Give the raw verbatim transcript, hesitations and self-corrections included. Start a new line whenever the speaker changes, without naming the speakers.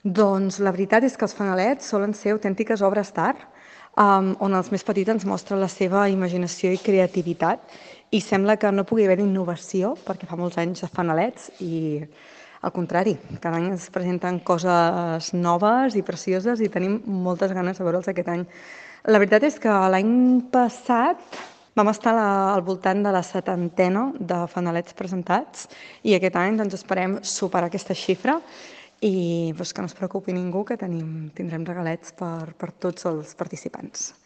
Doncs la veritat és que els fanalets solen ser autèntiques obres d'art, um, on els més petits ens mostren la seva imaginació i creativitat, i sembla que no pugui haver innovació, perquè fa molts anys de fanalets, i al contrari, cada any ens presenten coses noves i precioses i tenim moltes ganes de veure'ls aquest any. La veritat és que l'any passat vam estar a la, al voltant de la setantena de fanalets presentats i aquest any doncs, esperem superar aquesta xifra i doncs, que no es preocupi ningú, que tenim, tindrem regalets per, per tots els participants.